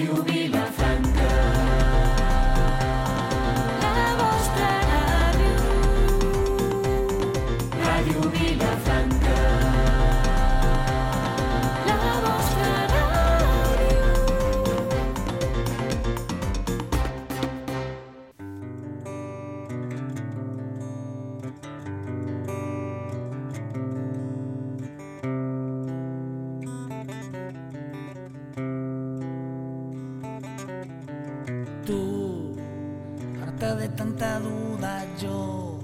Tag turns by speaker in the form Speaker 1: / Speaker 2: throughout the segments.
Speaker 1: Ràdio Vilafranca. La vostra ràdio. Ràdio Vilafranca. La vostra ràdio.
Speaker 2: Tú, harta de tanta duda yo,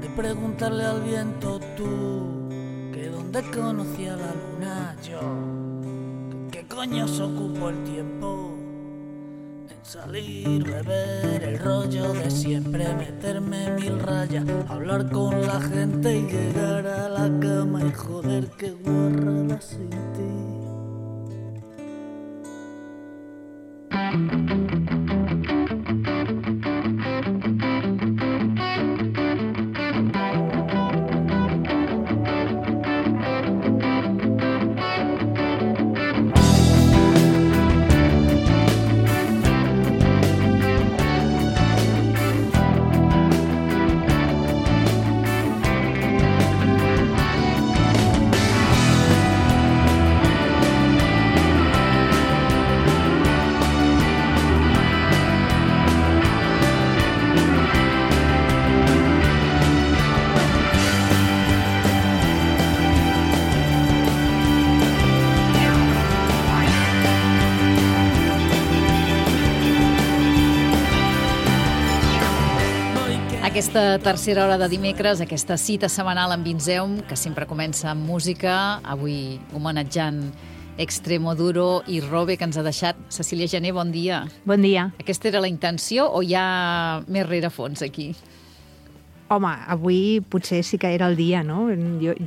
Speaker 2: de preguntarle al viento tú, que dónde conocía la luna yo, que qué coño se ocupó el tiempo en salir, beber el rollo de siempre, meterme mil rayas, hablar con la gente y llegar a la cama y joder qué guarrada sin ti.
Speaker 3: Aquesta tercera hora de dimecres, aquesta cita setmanal amb Vinzeum, que sempre comença amb música, avui homenatjant Extremoduro i Robe, que ens ha deixat. Cecília Gené, bon dia.
Speaker 4: Bon dia.
Speaker 3: Aquesta era la intenció o hi ha més rerefons aquí?
Speaker 4: Home, avui potser sí que era el dia, no?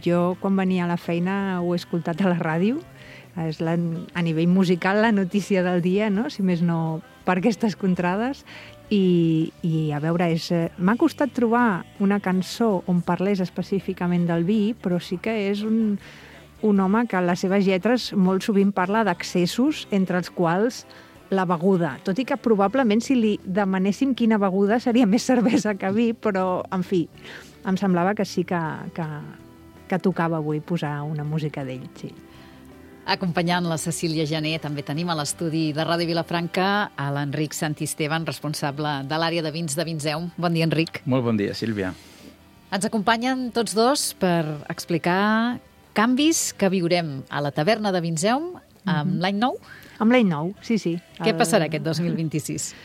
Speaker 4: Jo quan venia a la feina ho he escoltat a la ràdio. És a nivell musical la notícia del dia, no? Si més no per aquestes contrades. I a veure, m'ha costat trobar una cançó on parlés específicament del vi, però sí que és un home que en les seves lletres molt sovint parla d'accessos, entre els quals la beguda. Tot i que probablement si li demanéssim quina beguda seria més cervesa que vi, però, en fi, em semblava que sí que tocava avui posar una música d'ell, sí.
Speaker 3: Acompanyant la Cecília Gené, també tenim a l'estudi de Ràdio Vilafranca a l'Enric Santisteban, responsable de l'àrea de vins de Vinzeum. Bon dia, Enric.
Speaker 5: Molt bon dia, Sílvia.
Speaker 3: Ens acompanyen tots dos per explicar canvis que viurem a la taverna de Vinzeum amb l'any nou.
Speaker 4: Amb l'any nou, sí.
Speaker 3: Què passarà aquest 2026?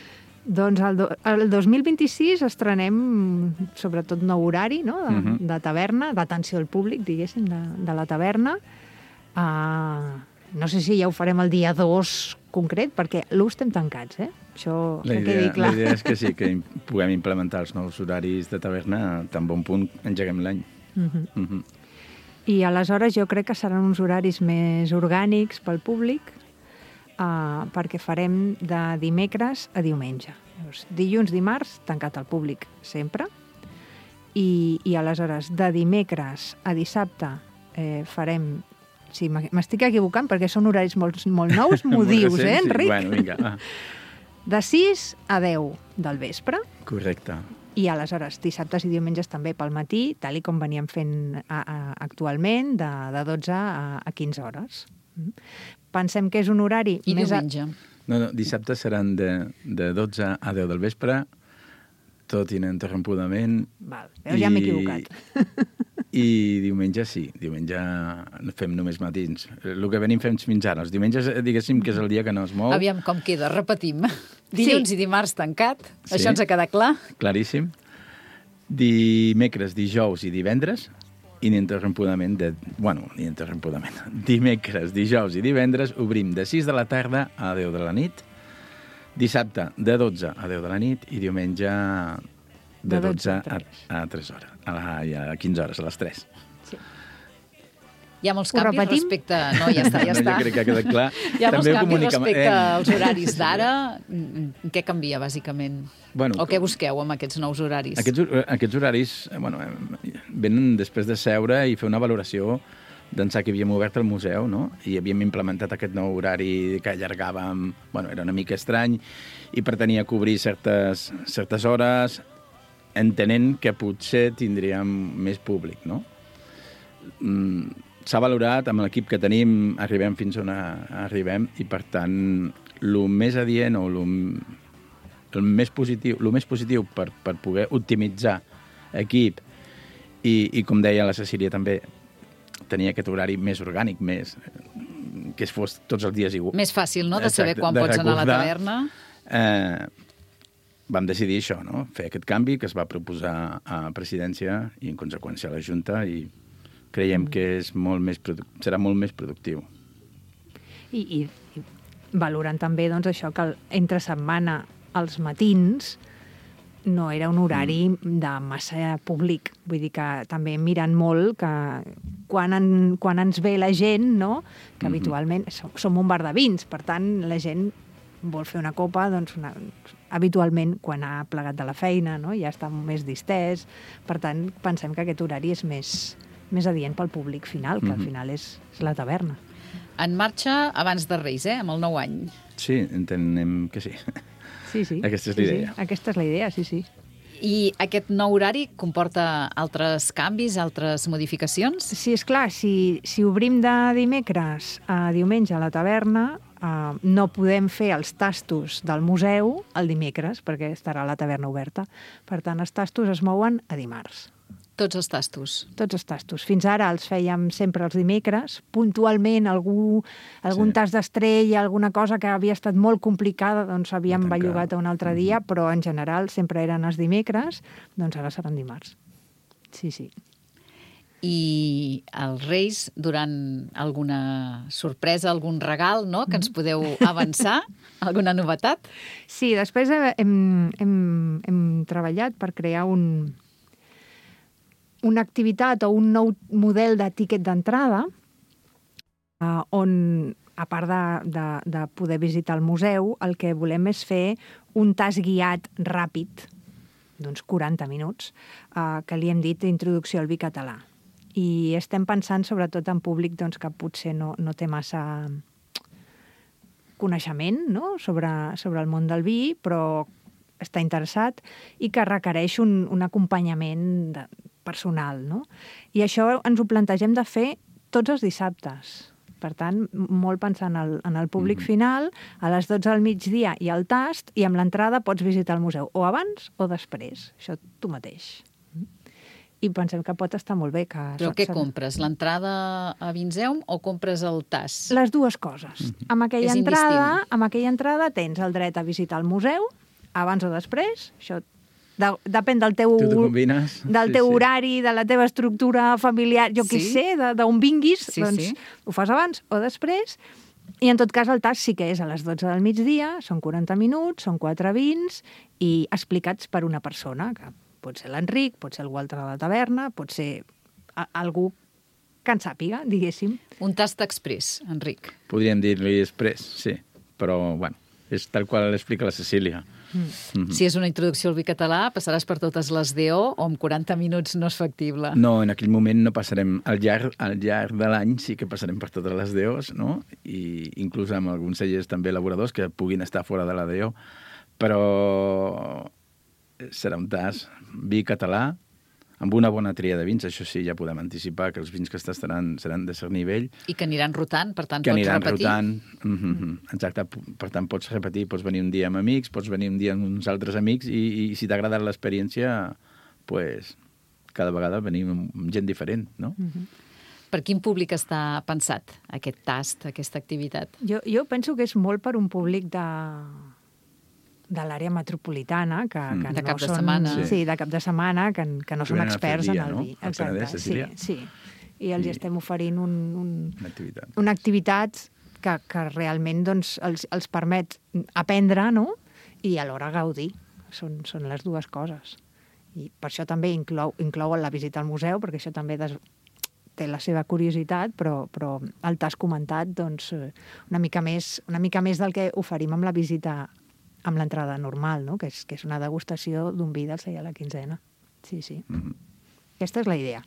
Speaker 4: Doncs el 2026 estrenem sobretot nou horari, no? De taverna, d'atenció al públic, diguéssim, de la taverna. No sé si ja ho farem el dia 2 concret, perquè l'1 estem tancats, Això que quedi clar.
Speaker 5: La idea és que sí, que puguem implementar els nous horaris de taverna tan bon punt engeguem l'any.
Speaker 4: I aleshores jo crec que seran uns horaris més orgànics pel públic, perquè farem de dimecres a diumenge. Dilluns, dimarts, tancat al públic sempre, i aleshores de dimecres a dissabte farem... Sí, m'estic equivocant perquè són horaris molt nous, m'ho dius, Enric?
Speaker 5: Bueno, vinga.
Speaker 4: De 6 a 10 del vespre.
Speaker 5: Correcte.
Speaker 4: I aleshores dissabtes i diumenges també pel matí, tal i com veníem fent actualment, de 12 a 15 hores. Pensem que és un horari...
Speaker 3: I diumenge?
Speaker 5: No, dissabte seran de 12 a 10 del vespre, tot ininterrompudament.
Speaker 4: Val, veus, ja m'he equivocat.
Speaker 5: I diumenge sí, diumenge fem només matins. El que venim fem fins ara. Els diumenges, diguéssim, que és el dia que no es mou.
Speaker 3: Aviam com queda, repetim. Dilluns i dimarts tancat, això ens ha quedat clar.
Speaker 5: Claríssim. Dimecres, dijous i divendres, ininterrompudament, dimecres, dijous i divendres, obrim de 6 de la tarda a 10 de la nit, dissabte de 12 a 10 de la nit i diumenge de 12 a 3 hores, a 15 hores, a les 3.
Speaker 3: Sí. Hi ha molts canvis respecte... No, ja està.
Speaker 5: Jo crec que ha quedat clar.
Speaker 3: Hi ha molts canvis respecte als horaris d'ara. Què canvia, bàsicament? O què busqueu amb aquests nous horaris?
Speaker 5: Aquests horaris venen després de seure i fer una valoració d'ençà que havíem obert el museu, no? I havíem implementat aquest nou horari que allargàvem... Bueno, era una mica estrany i pretenia cobrir certes hores, entenent que potser tindríem més públic, no? S'ha valorat, amb l'equip que tenim, arribem fins on arribem i, per tant, el més adient o el més positiu per poder optimitzar equip i, com deia la Cecília també, tenir aquest horari més orgànic, que fos tots els dies igual.
Speaker 3: Més fàcil, no?, de saber quan pots anar a la taverna.
Speaker 5: Vam decidir això, no?, fer aquest canvi que es va proposar a Presidència i, en conseqüència, a la Junta, i creiem que serà molt més productiu.
Speaker 4: I valorant també doncs, això que entre setmana als matins no era un horari de massa públic. Vull dir que també mirant molt que quan ens ve la gent, no? Que habitualment som un bar de vins, per tant, la gent vol fer una copa, doncs habitualment quan ha plegat de la feina, no? Ja està més distès. Per tant, pensem que aquest horari és més adient pel públic final, que al final és la taverna.
Speaker 3: En marxa abans de Reis, amb el nou any.
Speaker 5: Sí, entenem que sí.
Speaker 4: Sí.
Speaker 5: Aquesta és la idea.
Speaker 4: Sí. Aquesta és la idea, sí.
Speaker 3: I aquest nou horari comporta altres canvis, altres modificacions?
Speaker 4: Sí, esclar, si obrim de dimecres a diumenge a la taverna, no podem fer els tastos del museu el dimecres, perquè estarà la taverna oberta. Per tant, els tastos es mouen a dimarts.
Speaker 3: Tots els tastos?
Speaker 4: Tots els tastos. Fins ara els fèiem sempre els dimecres. Puntualment, algun tast d'estrella, alguna cosa que havia estat molt complicada, doncs havíem bellugat a un altre dia, però en general sempre eren els dimecres, doncs ara seran dimarts. Sí.
Speaker 3: I els Reis, durant alguna sorpresa, algun regal, no?, que ens podeu avançar? Alguna novetat?
Speaker 4: Sí, després hem treballat per crear una activitat o un nou model de tiquet d'entrada on, a part de poder visitar el museu, el que volem és fer un tast guiat ràpid, d'uns 40 minuts, que li hem dit introducció al vi català. I estem pensant sobretot en públic doncs, que potser no té massa coneixement, no?, sobre el món del vi, però està interessat i que requereix un acompanyament personal, no? I això ens ho plantegem de fer tots els dissabtes. Per tant, molt pensant en el públic final, a les 12 del migdia hi ha el tast i amb l'entrada pots visitar el museu o abans o després. Això tu mateix. I pensem que pot estar molt bé.
Speaker 3: Però què compres? L'entrada a Vinzeum o compres el tast?
Speaker 4: Les dues coses. Amb aquella entrada tens el dret a visitar el museu abans o després. Això depèn del teu horari, de la teva estructura familiar, jo què sé, d'on vinguis, doncs ho fas abans o després. I en tot cas el tast sí que és a les 12 del migdia, són 40 minuts, són 4 vins i explicats per una persona, que pot ser l'Enric, pot ser algú altre de la taverna, pot ser algú que en sàpiga, diguéssim.
Speaker 3: Un tast express, Enric.
Speaker 5: Podríem dir-li express, sí, però bueno, és tal qual l'explica la Cecília.
Speaker 3: Si és una introducció al vi català, passaràs per totes les DO o en 40 minuts no és factible?
Speaker 5: No, en aquell moment no passarem. Al llarg de l'any sí que passarem per totes les DOs, no? I inclús amb alguns cellers també elaboradors que puguin estar fora de la DO, però serà un tast vi català amb una bona tria de vins. Això sí, ja podem anticipar que els vins que estaran seran de cert nivell.
Speaker 3: I que aniran rotant, per tant,
Speaker 5: pots repetir.
Speaker 3: Que aniran
Speaker 5: rotant, exacte. Per tant, pots repetir, pots venir un dia amb amics, pots venir un dia amb uns altres amics i si t'ha agradat l'experiència, pues, cada vegada venim amb gent diferent, no?
Speaker 3: Per quin públic està pensat aquest tast, aquesta activitat?
Speaker 4: Jo penso que és molt per un públic de l'àrea metropolitana, que
Speaker 3: de
Speaker 4: no
Speaker 3: cap de
Speaker 4: són...
Speaker 3: setmana.
Speaker 4: Sí, de cap de setmana, que no són experts en el vi.
Speaker 5: Exacte,
Speaker 4: sí. I els estem oferint
Speaker 5: una
Speaker 4: activitat que realment doncs, els permet aprendre, no?, i alhora gaudir. Són les dues coses. I per això també inclou la visita al museu, perquè això també té la seva curiositat, però el tast comentat, doncs, una mica més del que oferim amb la visita amb l'entrada normal, no?, que és una degustació d'un vi del celler a la quinzena. Sí. Aquesta és la idea.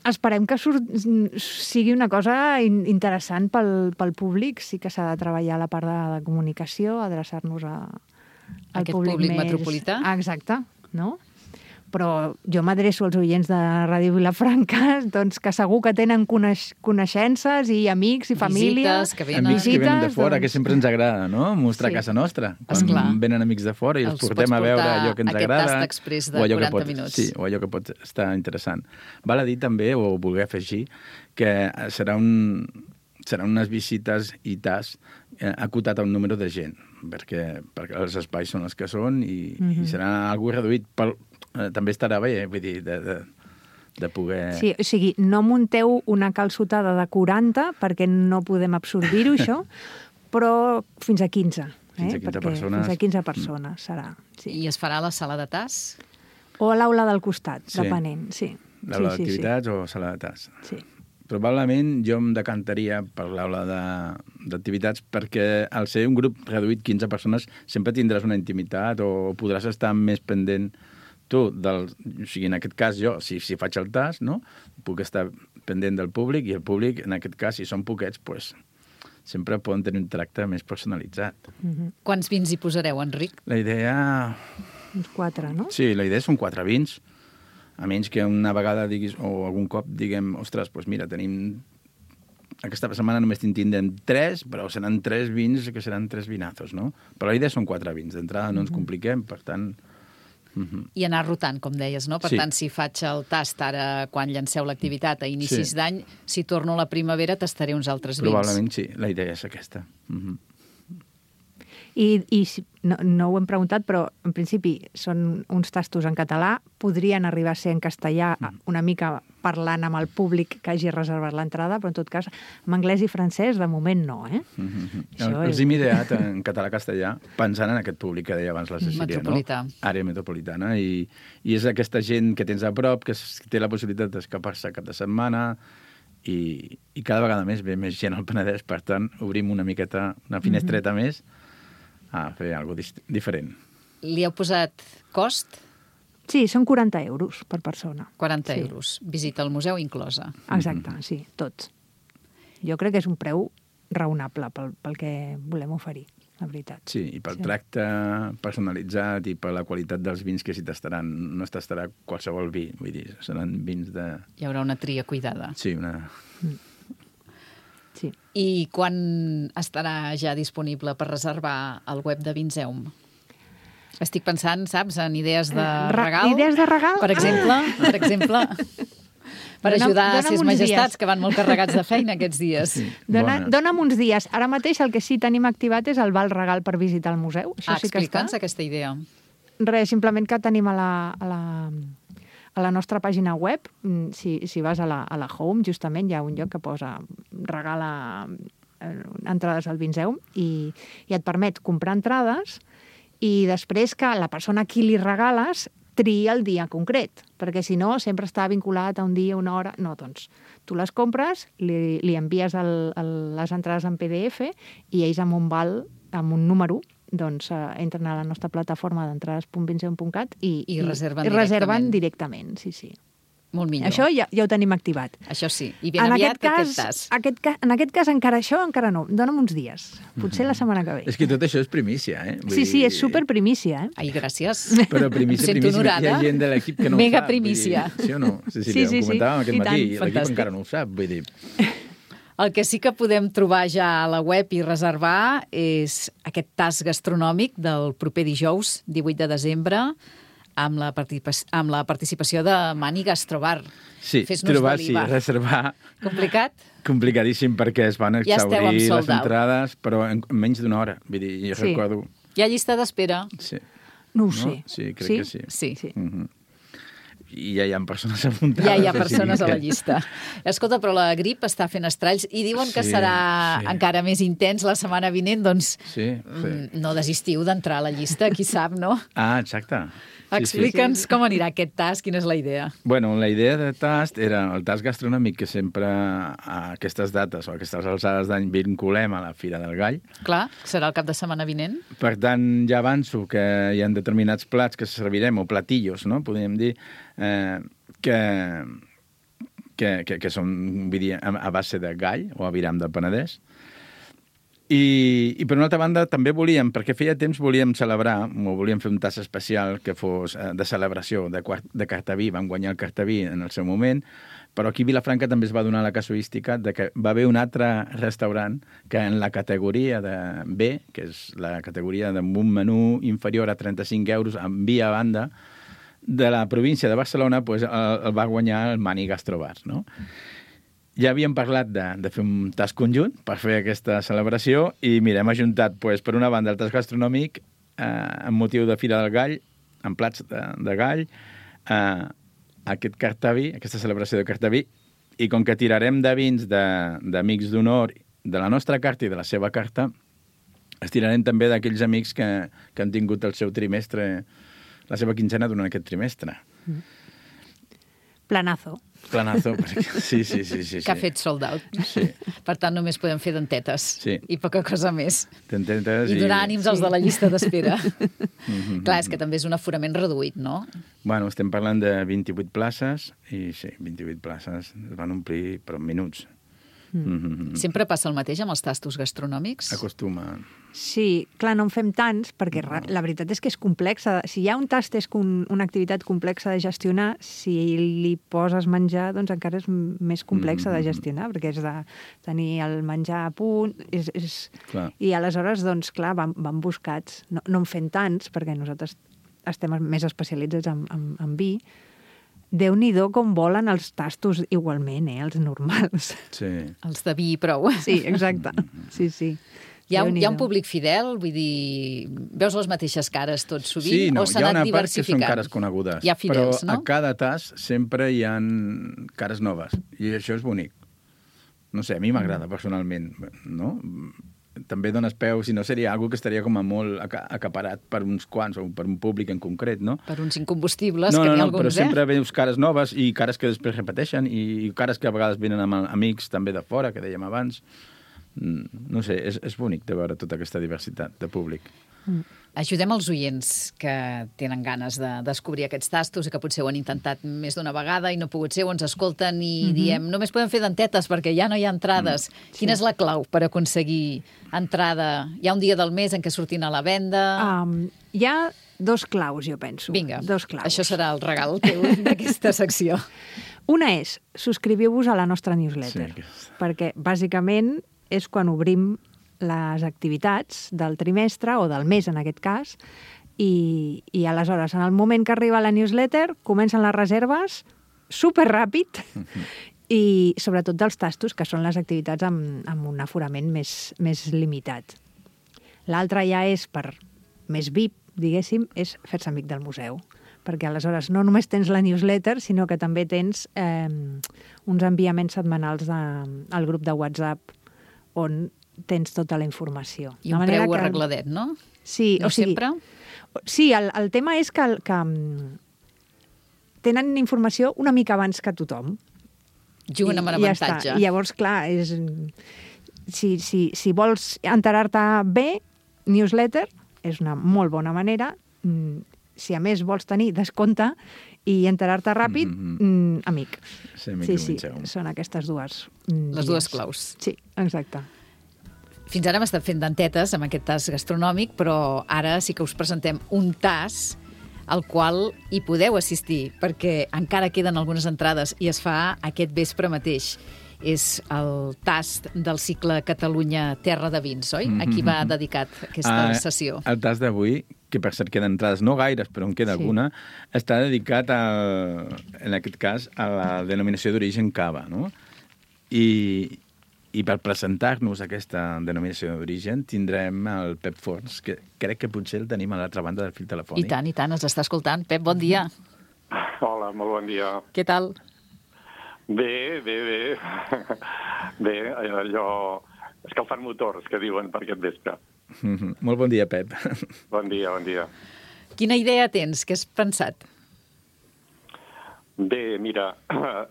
Speaker 4: esperem que sigui una cosa interessant pel públic. Sí que s'ha de treballar la part de comunicació, adreçar-nos al
Speaker 3: Aquest
Speaker 4: públic
Speaker 3: públic
Speaker 4: més...
Speaker 3: metropolità.
Speaker 4: Exacte, no? Però jo m'adreço als oients de Ràdio Vilafranca, doncs que segur que tenen coneixences i amics i família.
Speaker 3: Visites que venen.
Speaker 5: Amics que venen de
Speaker 4: Visites,
Speaker 5: fora,
Speaker 4: doncs-
Speaker 5: que sempre ens agrada, no? Mostrar
Speaker 4: Sí.
Speaker 5: casa nostra. Quan
Speaker 3: Esclar.
Speaker 5: venen amics de fora i els
Speaker 3: Els
Speaker 5: portem
Speaker 3: pots
Speaker 5: a veure
Speaker 3: portar
Speaker 5: allò que ens
Speaker 3: aquest
Speaker 5: agrada.
Speaker 3: tast exprés de
Speaker 5: o allò que
Speaker 3: 40 minuts.
Speaker 5: Sí, o allò que pot estar interessant. Val a dir també, o voler afegir, que seran unes visites i tas acotat a un número de gent, perquè els espais són els que són i serà algú reduït. També estarà bé, vull dir, de poder...
Speaker 4: Sí, o sigui, no munteu una calçotada de 40 perquè no podem absorbir-ho, això, però fins a 15.
Speaker 5: Fins a 15
Speaker 4: perquè
Speaker 5: persones.
Speaker 4: Fins a 15 persones serà. Sí.
Speaker 3: I es farà a la sala de tas?
Speaker 4: O a l'aula del costat,
Speaker 5: Sí.
Speaker 4: depenent. Sí.
Speaker 5: L'aula
Speaker 4: sí,
Speaker 5: d'activitats o sala de tas.
Speaker 4: Sí.
Speaker 5: Probablement jo em decantaria per l'aula d'activitats perquè al ser un grup reduït 15 persones sempre tindràs una intimitat o podràs estar més pendent tu, o sigui, en aquest cas jo, si faig el tas, no? Puc estar pendent del públic i el públic, en aquest cas, si són poquets, pues, sempre poden tenir un tracte més personalitzat.
Speaker 3: Quants vins hi posareu, Enric?
Speaker 5: La idea...
Speaker 4: Uns 4, no?
Speaker 5: Sí, la idea són 4 vins, a menys que una vegada diguis, o algun cop diguem, ostres, doncs mira, tenim... Aquesta setmana només tindrem 3, però seran 3 vins que seran 3 vinazos, no? Però la idea són 4 vins. D'entrada no ens compliquem, per tant...
Speaker 3: I anar rotant, com deies, no? Per
Speaker 5: Sí.
Speaker 3: tant, si faig el tast ara quan llanceu l'activitat a inicis
Speaker 5: Sí.
Speaker 3: d'any, si torno a la primavera tastaré uns altres vins.
Speaker 5: Probablement sí, la idea és aquesta.
Speaker 4: I no ho hem preguntat, però en principi són uns tastos en català, podrien arribar a ser en castellà una mica parlant amb el públic que hagi reservat l'entrada, però en tot cas, en anglès i francès, de moment no, eh? Això
Speaker 5: Els
Speaker 4: és-
Speaker 5: hem ideat en català-castellà pensant en aquest públic que deia abans la Cecília,
Speaker 3: Metropolità.
Speaker 5: no? Àrea metropolitana. I és aquesta gent que tens a prop, que té la possibilitat d'escapar-se cap de setmana i cada vegada més ve més gent al Penedès. Per tant, obrim una miqueta, una finestreta més a fer alguna cosa diferent.
Speaker 3: Li heu posat cost?
Speaker 4: Sí, són 40 euros per persona.
Speaker 3: 40
Speaker 4: Sí.
Speaker 3: euros. Visita al museu inclosa.
Speaker 4: Exacte, sí, tots. Jo crec que és un preu raonable pel que volem oferir, la veritat.
Speaker 5: Sí, i pel tracte personalitzat i per la qualitat dels vins que s'hi tastaran. No es tastarà qualsevol vi, vull dir, seran vins de...
Speaker 3: Hi haurà una tria cuidada.
Speaker 5: Sí, una...
Speaker 4: Sí.
Speaker 3: I quan estarà ja disponible per reservar al web de Vinseum? Estic pensant, saps, en idees de regal.
Speaker 4: Idees de regal?
Speaker 3: Per exemple, per ajudar a ses
Speaker 4: Dona'm uns
Speaker 3: majestats,
Speaker 4: dies.
Speaker 3: que van molt carregats de feina aquests dies.
Speaker 5: Bona.
Speaker 4: Dona'm uns dies. Ara mateix el que sí tenim activat és el val regal per visitar el museu. Això sí que està.
Speaker 3: Explica'ns aquesta idea.
Speaker 4: Res, simplement que tenim a la nostra pàgina web, si vas a la home, justament hi ha un lloc que posa regala entrades al Vinseum i et permet comprar entrades i després que la persona a qui li regales triï el dia concret, perquè si no sempre està vinculat a un dia, una hora... No, doncs tu les compres, li envies les entrades en PDF i ells amb un val, amb un número, doncs entren a la nostra plataforma d'entrades.vinseum.cat
Speaker 3: I reserven
Speaker 4: reserven directament. Sí, sí.
Speaker 3: Molt millor.
Speaker 4: Això ja ho tenim activat.
Speaker 3: Això sí. I ben aviat aquest tas.
Speaker 4: En aquest cas encara no. Dóna'm uns dies. Potser la setmana que ve.
Speaker 5: És que tot això és primícia, eh? Vull
Speaker 4: Sí, és
Speaker 5: dir-
Speaker 4: superprimícia, eh?
Speaker 3: Ai, gràcies.
Speaker 5: Però primícia,
Speaker 3: Sento
Speaker 5: primícia, hi
Speaker 3: honorada.
Speaker 5: ha gent de l'equip que no
Speaker 3: Mega
Speaker 5: ho sap.
Speaker 3: primícia.
Speaker 5: Vull dir, sí o no? Cecília,
Speaker 4: Sí,
Speaker 5: ho comentàvem aquest
Speaker 4: i
Speaker 5: matí,
Speaker 4: tant.
Speaker 5: i l'equip
Speaker 3: Fantàstic.
Speaker 5: encara no ho sap. Vull dir,
Speaker 3: El que sí que podem trobar ja a la web i reservar és aquest tas gastronòmic del proper dijous, 18 de desembre, amb la participació de Mani Gastrobar.
Speaker 5: sí,
Speaker 3: Fes-nos
Speaker 5: trobar,
Speaker 3: salivar.
Speaker 5: sí, reservar,
Speaker 3: Complicat?
Speaker 5: complicadíssim perquè es van
Speaker 3: Ja esteu amb
Speaker 5: exhaurir les
Speaker 3: sold out.
Speaker 5: entrades, però en menys d'una hora. Vull dir, jo
Speaker 4: Sí.
Speaker 5: recordo...
Speaker 3: Hi ha llista d'espera?
Speaker 5: Sí.
Speaker 4: No ho
Speaker 5: No?
Speaker 4: sé.
Speaker 5: Sí, crec que sí.
Speaker 3: Sí.
Speaker 4: Sí.
Speaker 5: I ja hi ha persones apuntades.
Speaker 3: Ja hi ha
Speaker 5: o sigui
Speaker 3: persones a la
Speaker 5: que-
Speaker 3: llista. Escolta, però la grip està fent estralls i diuen que
Speaker 5: Sí,
Speaker 3: serà
Speaker 5: sí.
Speaker 3: encara més intens la setmana vinent, doncs
Speaker 5: Sí, sí.
Speaker 3: no desistiu d'entrar a la llista, qui sap, no?
Speaker 5: Ah, exacte. Sí,
Speaker 3: Explica'ns com anirà aquest tas, quina és la idea.
Speaker 5: Bueno, la idea de tast era el tast gastronòmic que sempre a aquestes dates o a aquestes alçades d'any vinculem a la Fira del Gall.
Speaker 3: Clar, serà el cap de setmana vinent.
Speaker 5: Per tant, ja avanço que hi ha determinats plats que servirem, o platillos, no?, podríem dir, que que són, vull dir, a base de gall o aviram del Penedès. I per una altra banda també volíem, perquè feia temps volíem celebrar, o volíem fer un tas especial que fos de celebració de Cartaví, vam guanyar el Cartaví en el seu moment, però aquí a Vilafranca també es va donar la casuística de que va haver un altre restaurant que en la categoria de B, que és la categoria d'un menú inferior a 35 euros en via banda, de la província de Barcelona, pues, el va guanyar el Mani Gastrobar, no? Ja havíem parlat de fer un tas conjunt per fer aquesta celebració i, mira, hem ajuntat, pues, per una banda, el tas gastronòmic amb motiu de Fira del Gall, amb plats de gall, aquest Cartaví, aquesta celebració de Cartaví, i com que tirarem de vins d'amics d'honor de la nostra carta i de la seva carta, estirarem també d'aquells amics que han tingut el seu trimestre, la seva quinzena durant aquest trimestre.
Speaker 4: Planazo.
Speaker 5: Planazo, sí.
Speaker 3: Que ha fet sold out.
Speaker 5: Sí.
Speaker 3: Per tant, només podem fer dentetes.
Speaker 5: Sí.
Speaker 3: I poca cosa més.
Speaker 5: Dentetes
Speaker 3: I donar ànims als de la llista d'espera. Clar, és que també és un aforament reduït, no?
Speaker 5: Bueno, estem parlant de 28 places i sí, 28 places es van omplir per minuts.
Speaker 3: Sempre passa el mateix amb els tastos gastronòmics?
Speaker 5: Acostuma.
Speaker 4: Sí, clar, no en fem tants, perquè la veritat és que és complexa. Si hi ha un tast és una activitat complexa de gestionar, si li poses menjar, doncs encara és més complexa de gestionar, perquè és de tenir el menjar a punt. I aleshores, doncs, clar, van buscats. No en fem tants, perquè nosaltres estem més especialitzats en vi. Déu-n'hi-do com volen els tastos igualment, els normals.
Speaker 5: Sí.
Speaker 3: Els de vi i prou.
Speaker 4: Sí, exacte. Sí.
Speaker 3: Hi ha un públic fidel? Vull dir, veus les mateixes cares tot sovint?
Speaker 5: Sí, no,
Speaker 3: o s'ha anat diversificant?
Speaker 5: hi ha una part que són cares conegudes.
Speaker 3: Hi ha fidels,
Speaker 5: però
Speaker 3: no?
Speaker 5: a cada tas sempre hi ha cares noves. I això és bonic. No sé, a mi m'agrada personalment, no? També dones peu, si no seria algo que estaria com a molt acaparat per uns quants o per un públic en concret, no?
Speaker 3: Per uns incombustibles, que n'hi ha alguns,
Speaker 5: però sempre veus cares noves i cares que després repeteixen i cares que a vegades venen amb amics també de fora, que dèiem abans. No sé, és bonic de veure tota aquesta diversitat de públic.
Speaker 3: Ajudem els oients que tenen ganes de descobrir aquests tastos i que potser ho han intentat més d'una vegada i no ha pogut ser, o ens escolten i diem només podem fer dentetes perquè ja no hi ha entrades. Quina és la clau per aconseguir entrada? Hi ha un dia del mes en què sortin a la venda?
Speaker 4: Hi ha dos claus, jo penso.
Speaker 3: Vinga,
Speaker 4: dos claus.
Speaker 3: Això serà el regal teu d'aquesta secció.
Speaker 4: Una és, subscriviu-vos a la nostra newsletter, perquè bàsicament és quan obrim les activitats del trimestre, o del mes en aquest cas, i aleshores, en el moment que arriba la newsletter, comencen les reserves superràpid i sobretot dels tastos, que són les activitats amb un aforament més limitat. L'altre ja és per més VIP, diguéssim, és fer-se amic del museu, perquè aleshores no només tens la newsletter, sinó que també tens uns enviaments setmanals al grup de WhatsApp on tens tota la informació.
Speaker 3: I un preu arregladet, no?
Speaker 4: Sí,
Speaker 3: no sempre?
Speaker 4: Sí, el tema és que tenen informació una mica abans que tothom.
Speaker 3: Juguen amb avantatge.
Speaker 4: I llavors, clar, si vols enterar-te bé, newsletter és una molt bona manera. Si a més vols tenir descompte i enterar-te ràpid, amic. Sí, són aquestes dues.
Speaker 3: Les dues claus.
Speaker 4: Sí, exacte.
Speaker 3: Fins ara hem estat fent dentetes amb aquest tas gastronòmic, però ara sí que us presentem un tas al qual hi podeu assistir, perquè encara queden algunes entrades i es fa aquest vespre mateix. És el tast del cicle Catalunya Terra de Vins, oi? A qui va dedicat aquesta sessió?
Speaker 5: El tast d'avui, que per cert queden entrades, no gaires, però en queda alguna, està dedicat, en aquest cas, a la denominació d'origen cava, no? I per presentar-nos aquesta denominació d'origen tindrem el Pep Forns, que crec que potser el tenim a l'altra banda del fil telefònic.
Speaker 3: I tant, ens està escoltant. Pep, bon dia.
Speaker 6: Hola, molt bon dia.
Speaker 3: Què tal?
Speaker 6: Bé. Bé, allò... escalfant motors, que diuen per aquest vespre.
Speaker 5: Molt bon dia, Pep.
Speaker 6: Bon dia.
Speaker 3: Quina idea tens? Què has pensat?
Speaker 6: Bé, mira,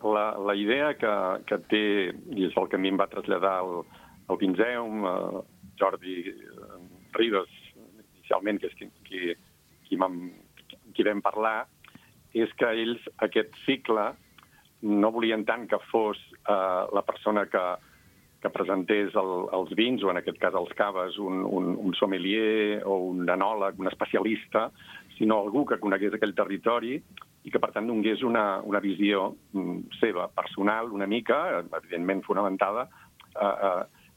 Speaker 6: la idea que té, i és el que a mi em va traslladar el Vinzeum, Jordi Ribas, inicialment, que és qui vam parlar, és que ells, aquest cicle, no volien tant que fos la persona que presentés els vins, o en aquest cas els caves, un sommelier o un enòleg, un especialista, sinó algú que conegués aquell territori i que, per tant, donés una visió seva, personal, una mica, evidentment fonamentada,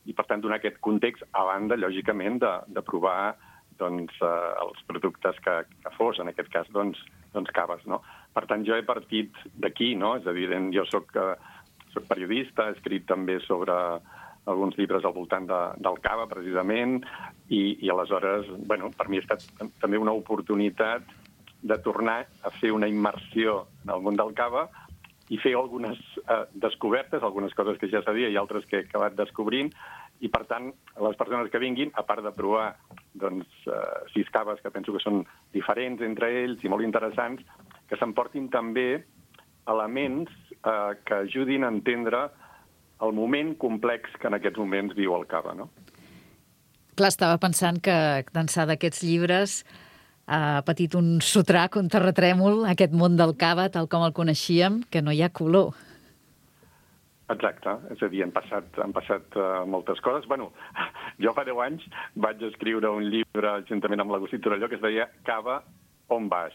Speaker 6: i, per tant, donar aquest context a banda, lògicament, de provar els productes que fos, en aquest cas, caves, no? Per tant, jo he partit d'aquí, no? És evident, jo soc periodista, he escrit també sobre alguns llibres al voltant del cava, precisament, i aleshores, bueno, per mi ha estat també una oportunitat de tornar a fer una immersió en el món del cava i fer algunes descobertes, algunes coses que ja sabia i altres que he acabat descobrint, i, per tant, les persones que vinguin, a part de provar 6 caves que penso que són diferents entre ells i molt interessants, que s'emportin també elements que ajudin a entendre el moment complex que en aquests moments viu el cava, no?
Speaker 3: Clar, estava pensant que d'ençà d'aquests llibres ha patit un sotrac, un terratrèmol, aquest món del cava, tal com el coneixíem, que no hi ha color.
Speaker 6: Exacte, és a dir, han passat moltes coses. Bueno, jo fa 10 anys vaig escriure un llibre juntament amb l'Agustí Torelló que es deia Cava, on vas?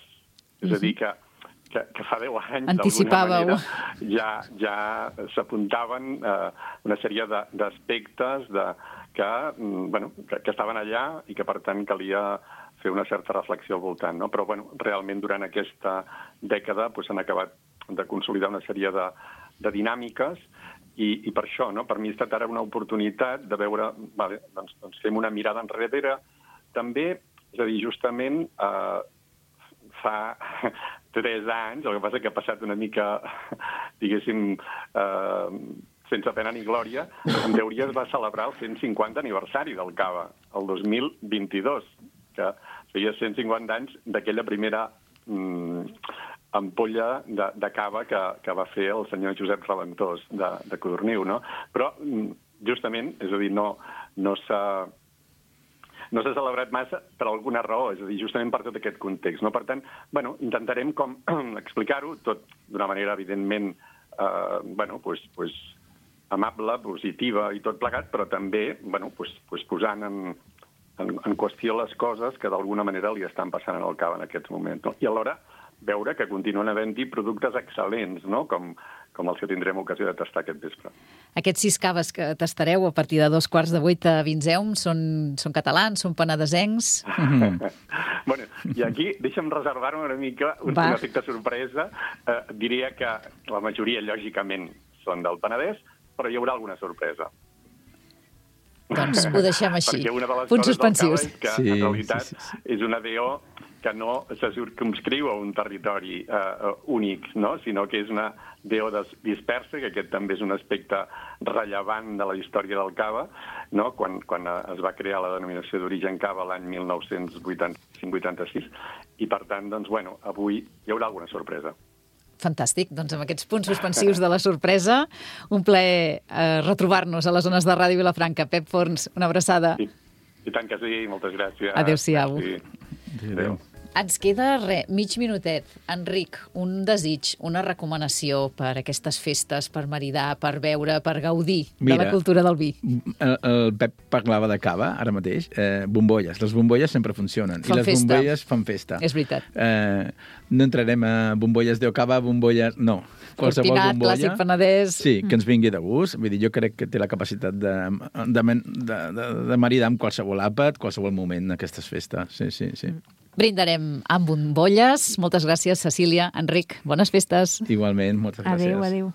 Speaker 6: És a dir, que fa 10 anys,
Speaker 3: anticipàveu,
Speaker 6: d'alguna manera, ja s'apuntaven una sèrie d'aspectes que estaven allà i que, per tant, calia fer una certa reflexió al voltant, no? Però, bueno, realment, durant aquesta dècada s'han acabat de consolidar una sèrie de dinàmiques i per això, no? Per mi ha estat ara una oportunitat de veure, vale, doncs fem una mirada enrere. També, és a dir, justament fa 3 anys, el que passa que ha passat una mica, diguéssim, sense pena ni glòria, en teoria es va celebrar el 150 aniversari del cava, el 2022, que feia 150 anys d'aquella primera ampolla de cava que va fer el senyor Josep Raventós de Codorniu, no? Però, justament, és a dir, no s'ha celebrat massa per alguna raó, és a dir, justament per tot aquest context, no? Per tant, bueno, intentarem com explicar-ho, tot d'una manera, evidentment, amable, positiva i tot plegat, però també, posant en qüestió les coses que d'alguna manera li estan passant al cava en aquests moments, no? I alhora veure que continuen havent-hi productes excel·lents, no? Com els que tindrem ocasió de tastar aquest vespre.
Speaker 3: Aquests 6 caves que tastareu a partir de 7:15 a Vinzeum són catalans, són penedesencs?
Speaker 6: Bueno, i aquí deixa'm reservar-me una mica un efecte sorpresa. Diria que la majoria, lògicament, són del Penedès, però hi haurà alguna sorpresa.
Speaker 3: Doncs ho deixem així.
Speaker 6: Perquè una de les
Speaker 3: Punts
Speaker 6: coses
Speaker 3: suspensius.
Speaker 6: del cava és que, en realitat, és una DO que no se circumscriu a un territori únic, no? Sinó que és una DO dispersa, que aquest també és un aspecte rellevant de la història del cava, no? Quan es va crear la denominació d'origen cava l'any 1985-86, i per tant, doncs, bueno, avui hi haurà alguna sorpresa.
Speaker 3: Fantàstic. Doncs amb aquests punts suspensius de la sorpresa, un plaer retrobar-nos a les zones de Ràdio Vilafranca. Pep Forns, una abraçada.
Speaker 6: I tant que sí, moltes gràcies.
Speaker 3: Adéu-siau.
Speaker 6: Adéu.
Speaker 3: Ens queda, mig minutet. Enric, un desig, una recomanació per aquestes festes, per maridar, per beure, per gaudir de la cultura del vi.
Speaker 5: El Pep parlava de cava, ara mateix. Bombolles. Les bombolles sempre funcionen.
Speaker 3: Fan
Speaker 5: I les
Speaker 3: festa.
Speaker 5: bombolles fan festa.
Speaker 3: És veritat.
Speaker 5: No entrarem a bombolles de cava, bombolles... No. Qualsevol
Speaker 3: Cortinat,
Speaker 5: bombolla...
Speaker 3: clàssic penedès...
Speaker 5: Sí, que ens vingui de gust. Vull dir, jo crec que té la capacitat de maridar amb qualsevol àpat, qualsevol moment d'aquestes festes. Sí.
Speaker 3: Brindarem amb bombolles. Moltes gràcies, Cecília, Enric. Bones festes.
Speaker 5: Igualment, moltes gràcies.
Speaker 4: Adéu.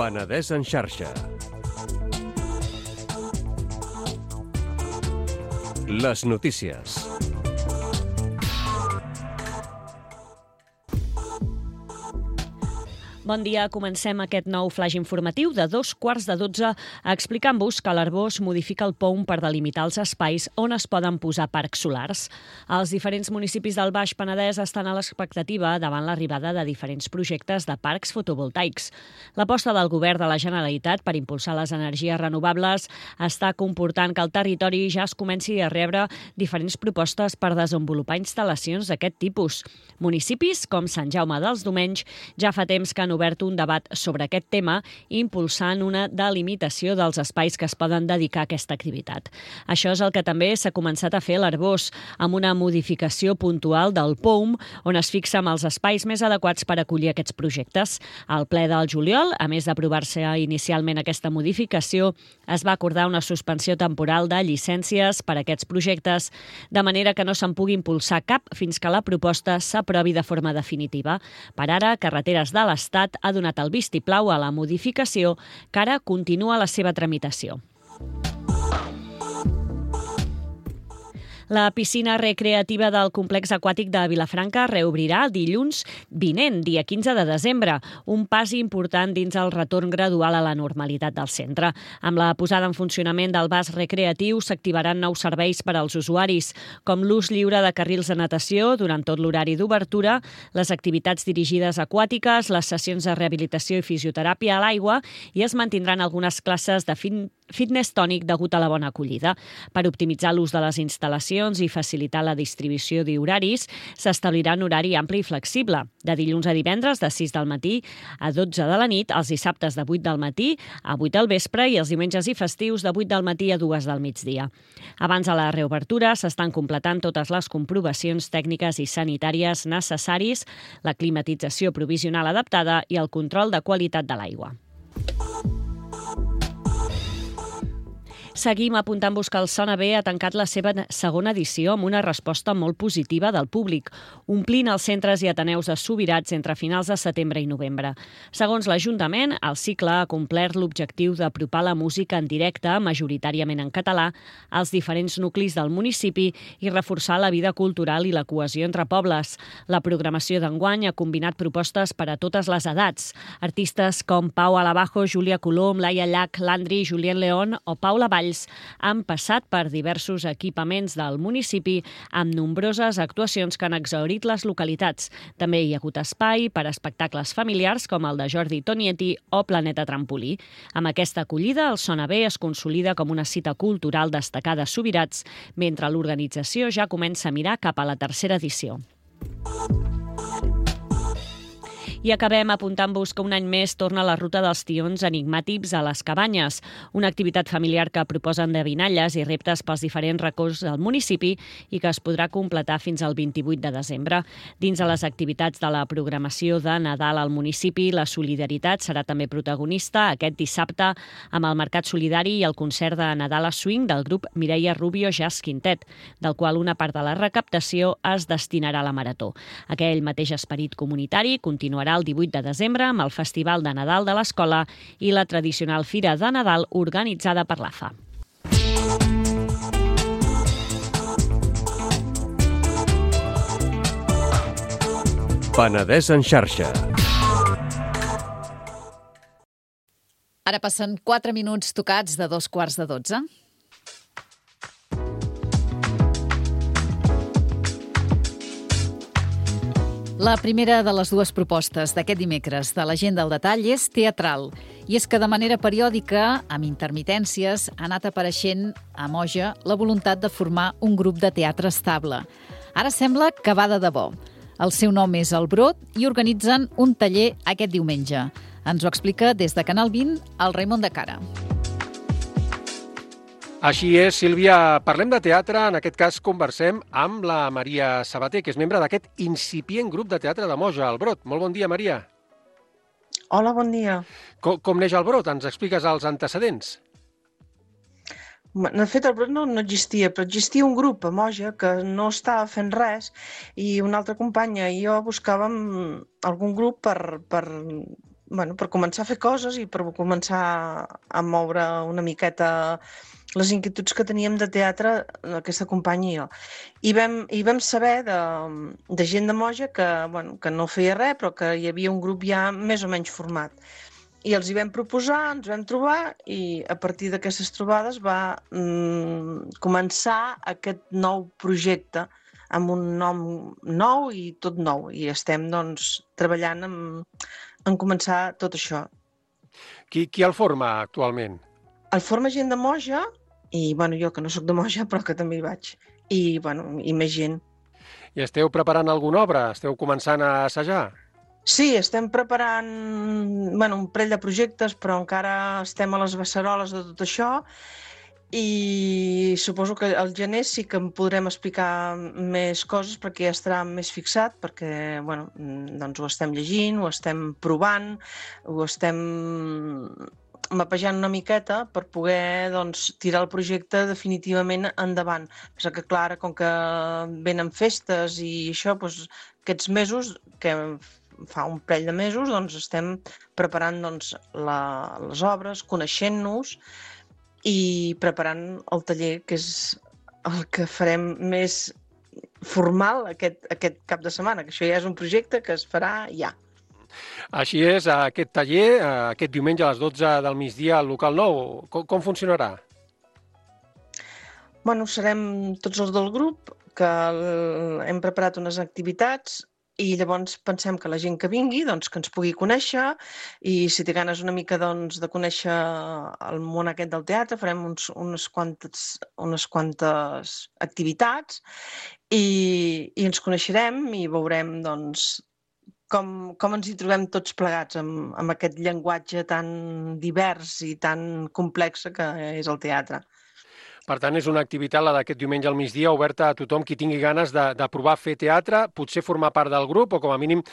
Speaker 7: Penedès en xarxa. Les notícies.
Speaker 8: Bon dia, comencem aquest nou flaix informatiu de 2:15 explicant-vos que l'Arbós modifica el POUM per delimitar els espais on es poden posar parcs solars. Els diferents municipis del Baix Penedès estan a l'expectativa davant l'arribada de diferents projectes de parcs fotovoltaics. L'aposta del govern de la Generalitat per impulsar les energies renovables està comportant que el territori ja es comenci a rebre diferents propostes per desenvolupar instal·lacions d'aquest tipus. Municipis com Sant Jaume dels Domenys ja fa temps que han obert un debat sobre aquest tema, impulsant una delimitació dels espais que es poden dedicar a aquesta activitat. Això és el que també s'ha començat a fer a l'Arbós, amb una modificació puntual del POUM, on es fixa amb els espais més adequats per acollir aquests projectes. Al ple del juliol, a més d'aprovar-se inicialment aquesta modificació, es va acordar una suspensió temporal de llicències per a aquests projectes, de manera que no se'n pugui impulsar cap fins que la proposta s'aprovi de forma definitiva. Per ara, Carreteres de l'Estat ha donat el vistiplau a la modificació, que ara continua la seva tramitació. La piscina recreativa del complex aquàtic de Vilafranca reobrirà dilluns vinent, dia 15 de desembre, un pas important dins el retorn gradual a la normalitat del centre. Amb la posada en funcionament del vas recreatiu s'activaran nous serveis per als usuaris, com l'ús lliure de carrils de natació durant tot l'horari d'obertura, les activitats dirigides aquàtiques, les sessions de rehabilitació i fisioteràpia a l'aigua i es mantindran algunes classes de fitness tònic degut a la bona acollida. Per optimitzar l'ús de les instal·lacions i facilitar la distribució d'horaris, s'establirà un horari ampli i flexible, de dilluns a divendres de 6 del matí a 12 de la nit, els dissabtes de 8 del matí a 8 del vespre i els diumenges i festius de 8 del matí a 2 del migdia. Abans de la reobertura s'estan completant totes les comprovacions tècniques i sanitàries necessaris, la climatització provisional adaptada i el control de qualitat de l'aigua. Seguim apuntant-vos que el Sona Bé ha tancat la seva segona edició amb una resposta molt positiva del públic, omplint els centres i ateneus de Subirats entre finals de setembre i novembre. Segons l'Ajuntament, el cicle ha complert l'objectiu d'apropar la música en directe, majoritàriament en català, als diferents nuclis del municipi i reforçar la vida cultural i la cohesió entre pobles. La programació d'enguany ha combinat propostes per a totes les edats. Artistes com Pau Alabajo, Júlia Colom, Laia Llach, Landry, Julien León o Paula Valls han passat per diversos equipaments del municipi amb nombroses actuacions que han exhaurit les localitats. També hi ha hagut espai per a espectacles familiars com el de Jordi Tonietti o Planeta Trampolí. Amb aquesta acollida, el Sona Bé es consolida com una cita cultural destacada a Subirats, mentre l'organització ja comença a mirar cap a la tercera edició. I acabem apuntant-vos que un any més torna la ruta dels tions enigmàtics a les cabanyes, una activitat familiar que proposa endevinalles i reptes pels diferents racons del municipi i que es podrà completar fins al 28 de desembre. Dins de les activitats de la programació de Nadal al municipi, la solidaritat serà també protagonista aquest dissabte amb el Mercat Solidari i el concert de Nadal a Swing del grup Mireia Rubio Jazz Quintet, del qual una part de la recaptació es destinarà a la marató. Aquell mateix esperit comunitari continuarà el 18 de desembre amb el Festival de Nadal de l'Escola i la tradicional Fira de Nadal organitzada per l'AFA.
Speaker 7: Penedès en xarxa.
Speaker 3: Ara passen 4 minuts tocats de 2:15. La primera de les dues propostes d'aquest dimecres de l'Agenda al detall és teatral. I és que de manera periòdica, amb intermitències, ha anat apareixent a Moja la voluntat de formar un grup de teatre estable. Ara sembla que va de debò. El seu nom és El Brot i organitzen un taller aquest diumenge. Ens ho explica des de Canal 20 el Raimon de Cara.
Speaker 9: Així és, Sílvia. Parlem de teatre, en aquest cas conversem amb la Maria Sabater, que és membre d'aquest incipient grup de teatre de Moja, El Brot. Molt bon dia, Maria.
Speaker 10: Hola, bon dia.
Speaker 9: Com neix El Brot? Ens expliques els antecedents?
Speaker 10: De fet, El Brot no existia, però existia un grup a Moja que no estava fent res i una altra companya i jo buscàvem algun grup per començar a fer coses i per començar a moure una miqueta les inquietuds que teníem de teatre, aquesta companya i jo. I vam saber de gent de Moja que no feia res, però que hi havia un grup ja més o menys format. I els hi vam proposar, ens vam trobar i a partir d'aquestes trobades va començar aquest nou projecte amb un nom nou i tot nou. I estem doncs, treballant en començar tot això.
Speaker 9: Qui el forma actualment?
Speaker 10: El forma gent de Moja i jo que no sóc de Moja però que també hi vaig. I més gent.
Speaker 9: I esteu preparant alguna obra? Esteu començant a assajar?
Speaker 10: Sí, estem preparant un parell de projectes, però encara estem a les beceroles de tot això i suposo que al gener sí que en podrem explicar més coses perquè ja estarà més fixat, perquè doncs ho estem llegint, ho estem provant, ho estem mapejant una miqueta per poder tirar el projecte definitivament endavant. Però que clar, com que venen festes i això, aquests mesos que fa un parell de mesos estem preparant les obres, coneixent-nos i preparant el taller, que és el que farem més formal aquest cap de setmana, que això ja és un projecte que es farà ja.
Speaker 9: Així és, aquest taller, aquest diumenge a les 12 del migdia al local nou, com funcionarà?
Speaker 10: Serem tots els del grup, que hem preparat unes activitats i llavors pensem que la gent que vingui, que ens pugui conèixer i si té ganes una mica de conèixer el món aquest del teatre, farem unes quantes activitats i ens coneixerem i veurem com ens hi trobem tots plegats amb aquest llenguatge tan divers i tan complex que és el teatre.
Speaker 9: Per tant, és una activitat, la d'aquest diumenge al migdia, oberta a tothom qui tingui ganes de provar a fer teatre, potser formar part del grup o, com a mínim,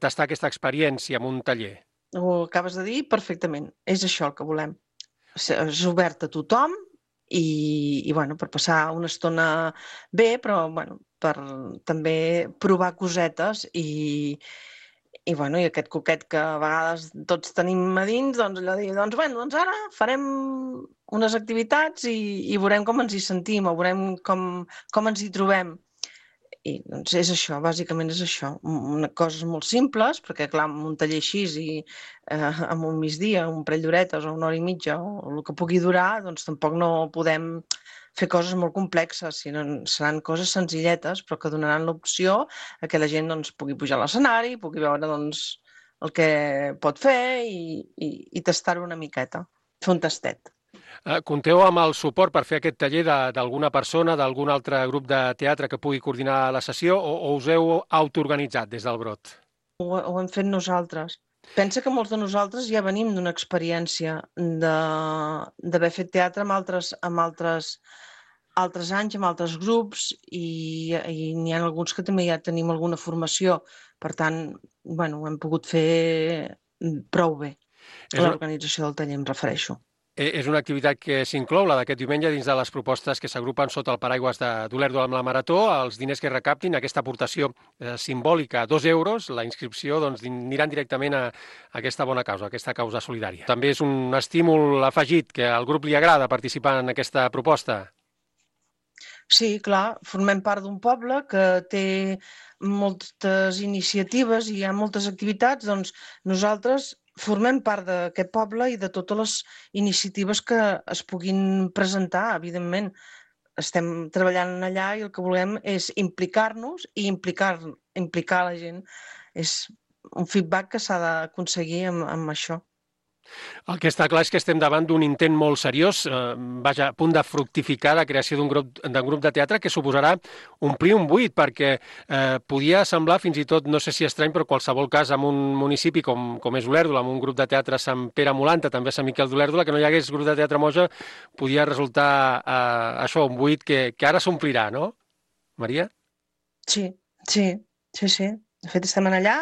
Speaker 9: tastar aquesta experiència en un taller.
Speaker 10: Ho acabes de dir perfectament. És això el que volem. És obert a tothom i per passar una estona bé, però per també provar cosetes i aquest coquet que a vegades tots tenim a dins, allò de dir, ara farem unes activitats i veurem com ens hi sentim, o veurem com ens hi trobem. I és això, bàsicament és això. Coses molt simples, perquè clar, amb un taller així i amb un migdia, un parell d'horetes o una hora i mitja, o el que pugui durar, tampoc no podem fer coses molt complexes, sinó seran coses senzilletes, però que donaran l'opció a que la gent pugui pujar a l'escenari, pugui veure el que pot fer i tastar-ho una miqueta, fer un tastet.
Speaker 9: Compteu amb el suport per fer aquest taller d'alguna persona, d'algun altre grup de teatre que pugui coordinar la sessió o us heu autoorganitzat des del Brot?
Speaker 10: Ho hem fet nosaltres. Pensa que molts de nosaltres ja venim d'una experiència d'haver fet teatre amb altres anys, amb altres grups, i n'hi ha alguns que també ja tenim alguna formació. Per tant, ho hem pogut fer prou bé. L'organització del taller, em refereixo.
Speaker 9: És una activitat que s'inclou, la d'aquest diumenge, dins de les propostes que s'agrupen sota el paraigües d'Olèrdola amb la Marató. Els diners que recaptin, aquesta aportació simbòlica, 2 euros, la inscripció aniran directament a aquesta bona causa, a aquesta causa solidària. També és un estímul afegit que al grup li agrada participar en aquesta proposta.
Speaker 10: Sí, clar, formem part d'un poble que té moltes iniciatives i hi ha moltes activitats, nosaltres formem part d'aquest poble i de totes les iniciatives que es puguin presentar, evidentment. Estem treballant allà i el que volem és implicar-nos i implicar la gent. És un feedback que s'ha d'aconseguir amb això.
Speaker 9: El que està clar és que estem davant d'un intent molt seriós, a punt de fructificar la creació d'un grup de teatre que suposarà omplir un buit, perquè podia semblar fins i tot, no sé si estrany, però en qualsevol cas, en un municipi com és Olèrdola, amb un grup de teatre a Sant Pere Molanta, també a Sant Miquel d'Olèrdola, que no hi hagués grup de teatre a Moja, podia resultar això, un buit que ara s'omplirà, no? Maria?
Speaker 10: Sí. De fet, estem allà.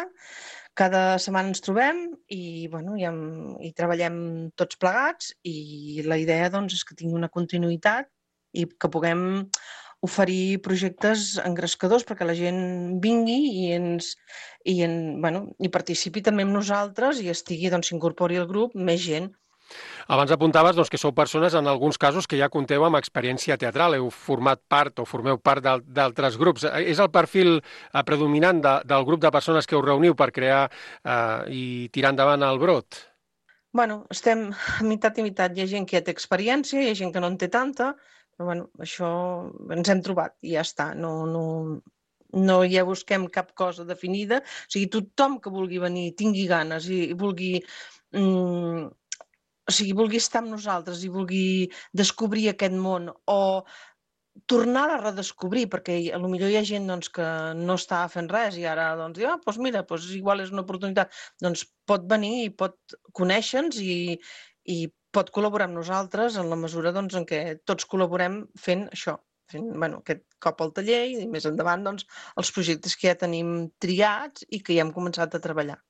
Speaker 10: Cada setmana ens trobem i treballem tots plegats i la idea és que tingui una continuïtat i que puguem oferir projectes engrescadors perquè la gent vingui i participi també amb nosaltres i s'incorpori al grup més gent.
Speaker 9: Abans apuntaves que sou persones, en alguns casos, que ja compteu amb experiència teatral, heu format part o formeu part d'altres grups. És el perfil predominant del grup de persones que us reuniu per crear i tirar endavant el brot?
Speaker 10: Bueno, estem meitat i meitat. Hi ha gent que ja té experiència, hi ha gent que no en té tanta, però bueno, això ens hem trobat i ja està. No ja busquem cap cosa definida. O sigui, tothom que vulgui venir, tingui ganes i vulgui... o sigui, vulgui estar amb nosaltres i vulgui descobrir aquest món o tornar a redescobrir, perquè potser hi ha gent que no estava fent res i ara diu, doncs mira, igual és una oportunitat. Doncs pot venir i pot conèixer-nos i pot col·laborar amb nosaltres en la mesura en què tots col·laborem fent això, fent aquest cop al taller i més endavant els projectes que ja tenim triats i que ja hem començat a treballar.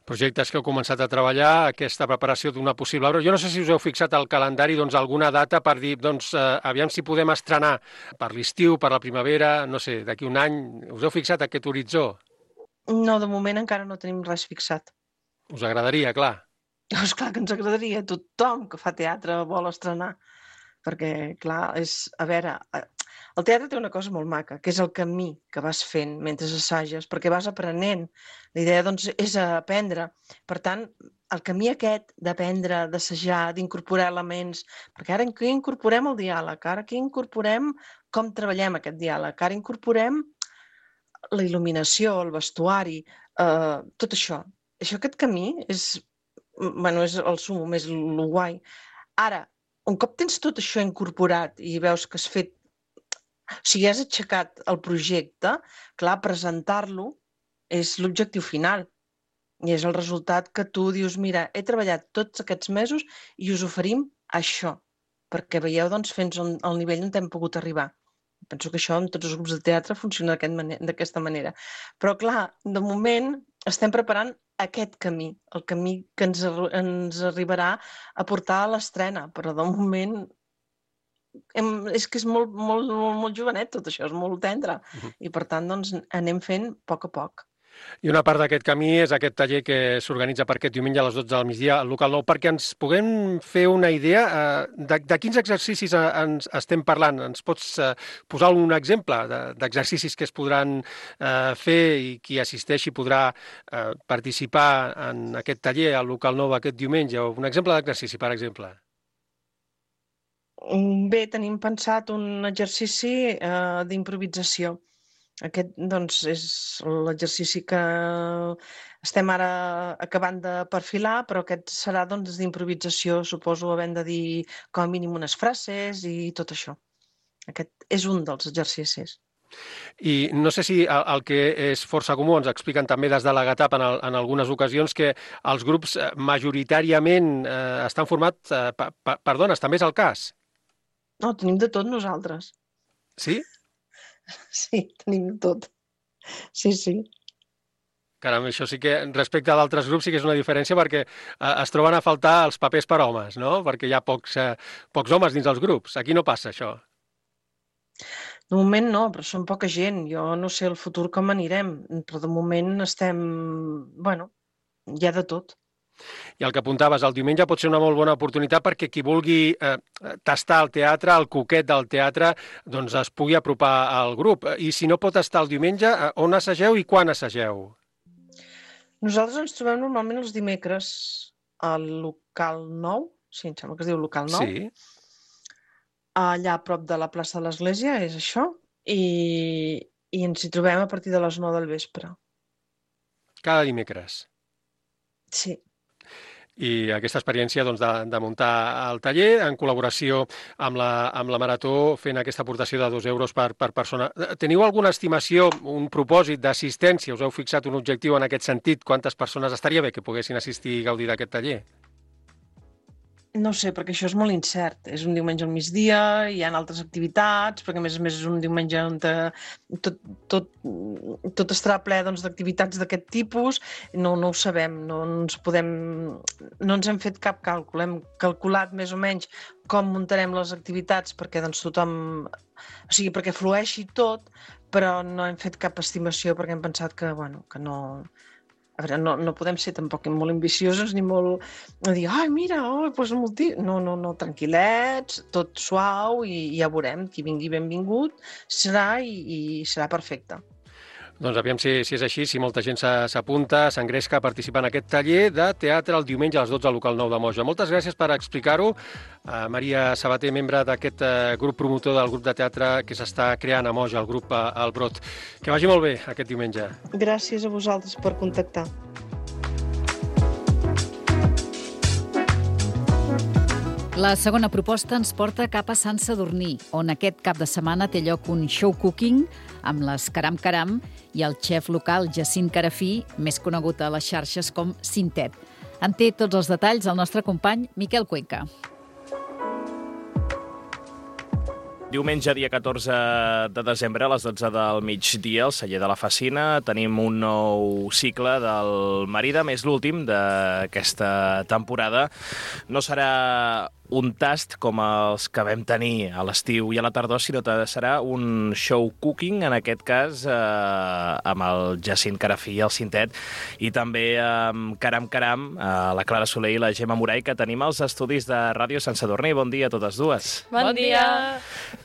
Speaker 9: Projectes que heu començat a treballar, aquesta preparació d'una possible obra. Jo no sé si us heu fixat al calendari alguna data per dir, aviam si podem estrenar per l'estiu, per la primavera, no sé, d'aquí un any. Us heu fixat aquest horitzó?
Speaker 10: No, de moment encara no tenim res fixat.
Speaker 9: Us agradaria, clar.
Speaker 10: És clar que ens agradaria. Tothom que fa teatre vol estrenar. Perquè, clar, a veure, el teatre té una cosa molt maca, que és el camí que vas fent mentre assages, perquè vas aprenent. La idea, és aprendre. Per tant, el camí aquest d'aprendre, d'assajar, d'incorporar elements, perquè ara aquí incorporem el diàleg, ara aquí incorporem com treballem aquest diàleg, ara incorporem la il·luminació, el vestuari, tot això. Aquest camí és el sumum, és el guai. Ara, un cop tens tot això incorporat i veus que has fet... O sigui, has aixecat el projecte, clar, presentar-lo és l'objectiu final. I és el resultat que tu dius, mira, he treballat tots aquests mesos i us oferim això, perquè veieu, fins al nivell on hem pogut arribar. Penso que això en tots els grups de teatre funciona d'aquesta manera. Però, clar, de moment estem preparant aquest camí, el camí que ens arribarà a portar a l'estrena, però de moment és que és molt jovenet tot això, és molt tendre, i per tant anem fent a poc.
Speaker 9: I una part d'aquest camí és aquest taller que s'organitza per aquest diumenge a les 12 del migdia al local 9, perquè ens puguem fer una idea de quins exercicis ens estem parlant. Ens pots posar un exemple d'exercicis que es podran fer i qui assisteixi podrà participar en aquest taller al local 9 aquest diumenge? O un exemple d'exercici, per exemple.
Speaker 10: Bé, tenim pensat un exercici d'improvisació. Aquest, és l'exercici que estem ara acabant de perfilar, però aquest serà, d'improvisació, suposo, havent de dir com a mínim unes frases i tot això. Aquest és un dels exercicis.
Speaker 9: I no sé si el que és força comú, ens expliquen també des de la GATAP en algunes ocasions, que els grups majoritàriament estan formats per dones, també és el cas?
Speaker 10: No, tenim de tot nosaltres.
Speaker 9: Sí?
Speaker 10: Sí, tenim tot. Sí.
Speaker 9: Caram, això sí que, respecte a d'altres grups, sí que és una diferència perquè es troben a faltar els papers per homes, no? Perquè hi ha pocs homes dins els grups. Aquí no passa, això.
Speaker 10: De moment no, però som poca gent. Jo no sé el futur com anirem, però de moment estem... Bueno, hi ha de tot.
Speaker 9: I el que apuntaves, el diumenge pot ser una molt bona oportunitat perquè qui vulgui tastar el teatre, el coquet del teatre, doncs es pugui apropar al grup. I si no pot estar el diumenge, on assageu i quan assageu?
Speaker 10: Nosaltres ens trobem normalment els dimecres al local 9, sí, em sembla que es diu local 9.
Speaker 9: Sí.
Speaker 10: Allà a prop de la plaça de l'Església, és això, i ens hi trobem a partir de les 9 del vespre.
Speaker 9: Cada dimecres?
Speaker 10: Sí.
Speaker 9: I aquesta experiència de muntar el taller en col·laboració amb la Marató fent aquesta aportació de 2 euros per persona. Teniu alguna estimació, un propòsit d'assistència? Us heu fixat un objectiu en aquest sentit? Quantes persones estaria bé que poguessin assistir i gaudir d'aquest taller?
Speaker 10: No sé, perquè això és molt incert. És un diumenge al migdia, hi ha altres activitats, perquè a més és un diumenge on tot estarà ple d'activitats d'aquest tipus. No ho sabem, no ens hem fet cap càlcul. Hem calculat més o menys com muntarem les activitats perquè tothom... O sigui, perquè flueixi tot, però no hem fet cap estimació perquè hem pensat que no A veure, no podem ser tampoc molt ambiciosos ni molt... dir, ai, mira, doncs no, tranquil·lets, tot suau i ja veurem, qui vingui benvingut serà i serà perfecte.
Speaker 9: Doncs aviam si és així, si molta gent s'apunta, s'engresca a participar en aquest taller de teatre el diumenge a les 12 al local 9 de Moja. Moltes gràcies per explicar-ho. Maria Sabater, membre d'aquest grup promotor del grup de teatre que s'està creant a Moja, el grup El Brot. Que vagi molt bé aquest diumenge.
Speaker 10: Gràcies a vosaltres per contactar.
Speaker 3: La segona proposta ens porta cap a Sant Sadurní, on aquest cap de setmana té lloc un show cooking amb les Caram Caram i el xef local Jacint Carafí, més conegut a les xarxes com Cintet. En té tots els detalls el nostre company Miquel Cuenca.
Speaker 11: Diumenge, dia 14 de desembre, a les 12 del migdia, al celler de la Facina, tenim un nou cicle del Maridam, és l'últim d'aquesta temporada. No serà un tast com els que vam tenir a l'estiu i a la tardor, sinó que serà un show cooking, en aquest cas amb el Jacint Carafí i el Cintet, i també amb Caram Caram, la Clara Soler i la Gemma Moray, que tenim als estudis de Ràdio Sant Sadurní. Bon dia a totes dues.
Speaker 12: Bon dia!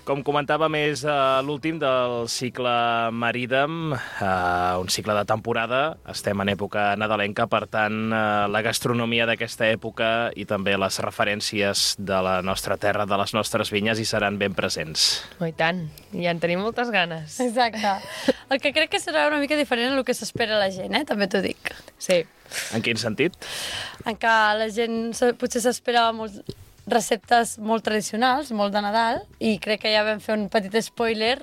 Speaker 11: Com comentàvem, és l'últim del cicle Maridam, un cicle de temporada. Estem en època nadalenca, per tant, la gastronomia d'aquesta època i també les referències de la nostra terra, de les nostres vinyes, hi seran ben presents.
Speaker 12: Oh, i tant, ja en tenim moltes ganes.
Speaker 13: Exacte. El que crec que serà una mica diferent a el que s'espera la gent, també t'ho dic.
Speaker 12: Sí.
Speaker 11: En quin sentit?
Speaker 13: En què la gent potser s'espera receptes molt tradicionals, molt de Nadal, i crec que ja vam fer un petit spoiler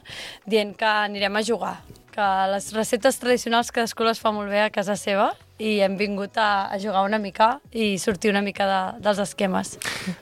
Speaker 13: dient que anirem a jugar, que les receptes tradicionals cadascú les fa molt bé a casa seva, i hem vingut a jugar una mica i sortir una mica dels esquemes.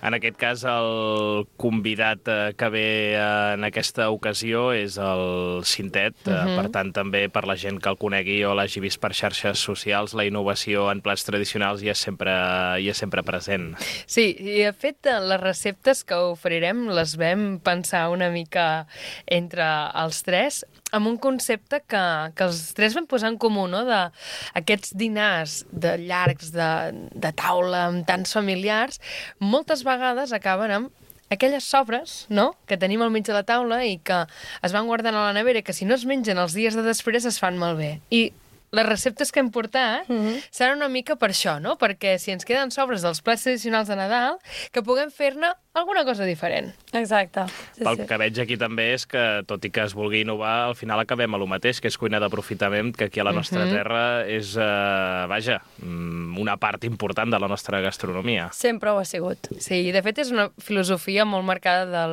Speaker 11: En aquest cas, el convidat que ve en aquesta ocasió és el Cintet. Per tant, també per la gent que el conegui o l'hagi vist per xarxes socials, la innovació en plats tradicionals hi és sempre present.
Speaker 12: Sí, i de fet, les receptes que oferirem les vam pensar una mica entre els tres, amb un concepte que els tres vam posar en comú, no? D'aquests dinars de llargs, de taula, amb tants familiars, moltes vegades acaben amb aquelles sobres, no?, que tenim al mig de la taula i que es van guardant a la nevera i que si no es mengen els dies de després es fan malbé. I les receptes que hem portat seran una mica per això, no? Perquè si ens queden sobres dels plats tradicionals de Nadal, que puguem fer-ne alguna cosa diferent.
Speaker 13: Exacte.
Speaker 11: Pel que veig aquí també és que, tot i que es vulgui innovar, al final acabem a lo mateix, que és cuina d'aprofitament, que aquí a la nostra terra és, una part important de la nostra gastronomia.
Speaker 13: Sempre ho ha sigut.
Speaker 12: Sí, i de fet és una filosofia molt marcada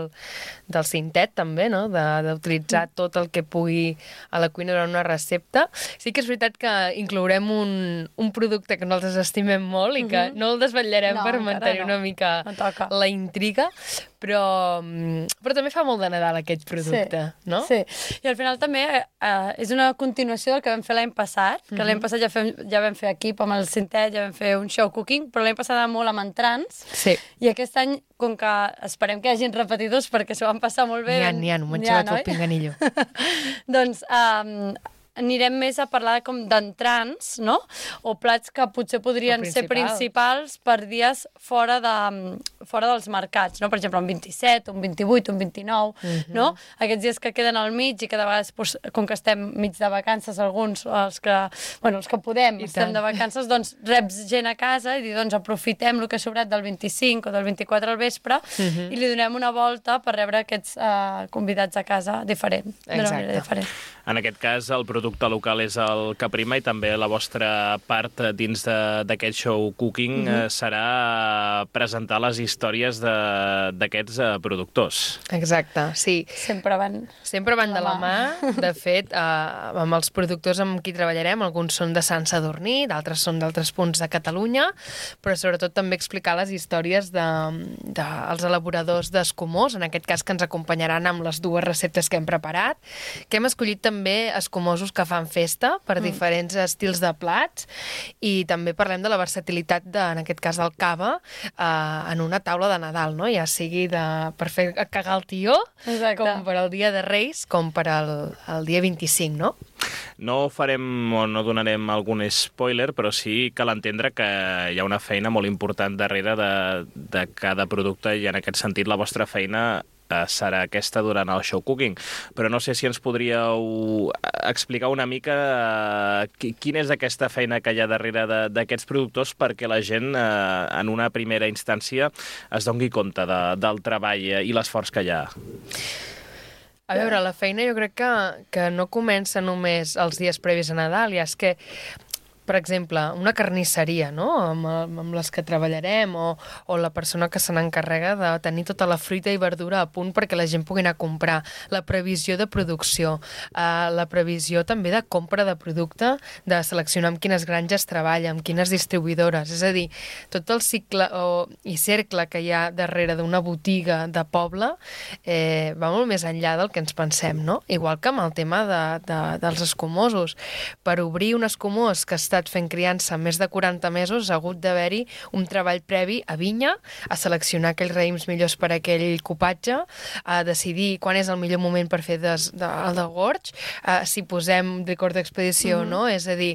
Speaker 12: del Cintet, també, no? D'utilitzar tot el que pugui a la cuina durant una recepta. Sí que és veritat que inclourem un producte que nosaltres estimem molt i que no el desvetllarem per mantenir una mica la intriga, però també fa molt de Nadal aquest producte, no?
Speaker 13: Sí, i al final també és una continuació del que vam fer l'any passat, que l'any passat ja vam fer equip amb el Cintet, ja vam fer un show cooking, però l'any passat molt amb entrants, i aquest any, com que esperem que hi hagin repetidors perquè s'ho van passar molt bé...
Speaker 12: N'hi ha, un menjat al pinganillo.
Speaker 13: Doncs anirem més a parlar com d'entrants, no? O plats que potser podrien ser principals per dies fora dels mercats, no? Per exemple, un 27, un 28, un 29, no? Aquests dies que queden al mig i que de vegades, com que estem mig de vacances, alguns, els que podem, estem de vacances, doncs reps gent a casa i doncs aprofitem el que ha sobrat del 25 o del 24 al vespre i li donem una volta per rebre aquests convidats a casa d'una manera diferent.
Speaker 11: En aquest cas, el producte local és el que prima i també la vostra part dins d'aquest show cooking serà presentar les històries d'aquests productors.
Speaker 12: Exacte, sí.
Speaker 13: Sempre van
Speaker 12: de la mà. De fet, amb els productors amb qui treballarem, alguns són de Sant Sadurní, d'altres són d'altres punts de Catalunya, però sobretot també explicar les històries dels elaboradors d'escumós, en aquest cas que ens acompanyaran amb les dues receptes que hem preparat, que hem escollit també escumosos escomosos que fan festa per diferents estils de plats, i també parlem de la versatilitat, en aquest cas del cava, en una taula de Nadal, no? Ja sigui per fer cagar el tió, com per al dia de Reis, com per al dia 25, no?
Speaker 11: No farem o no donarem algun spoiler, però sí cal entendre que hi ha una feina molt important darrere de cada producte, i en aquest sentit la vostra feina serà aquesta durant el show cooking. Però no sé si ens podríeu explicar una mica quina és aquesta feina que hi ha darrere d'aquests productors, perquè la gent en una primera instància es doni compte del treball i l'esforç que hi ha.
Speaker 12: A veure, la feina jo crec que no comença només els dies previs a Nadal, ja és que, per exemple, una carnisseria, no?, amb les que treballarem, o la persona que se n'encarrega de tenir tota la fruita i verdura a punt perquè la gent pugui anar a comprar, la previsió de producció, la previsió també de compra de producte, de seleccionar amb quines granges treballa, amb quines distribuïdores, és a dir, tot el cicle i cercle que hi ha darrere d'una botiga de poble va molt més enllà del que ens pensem, no? Igual que amb el tema dels escumosos. Per obrir un escumós que està fent criança més de 40 mesos, ha hagut d'haver-hi un treball previ a vinya, a seleccionar aquells raïms millors per a aquell copatge, a decidir quan és el millor moment per fer el de gorg, si posem licor d'expedició o no, és a dir,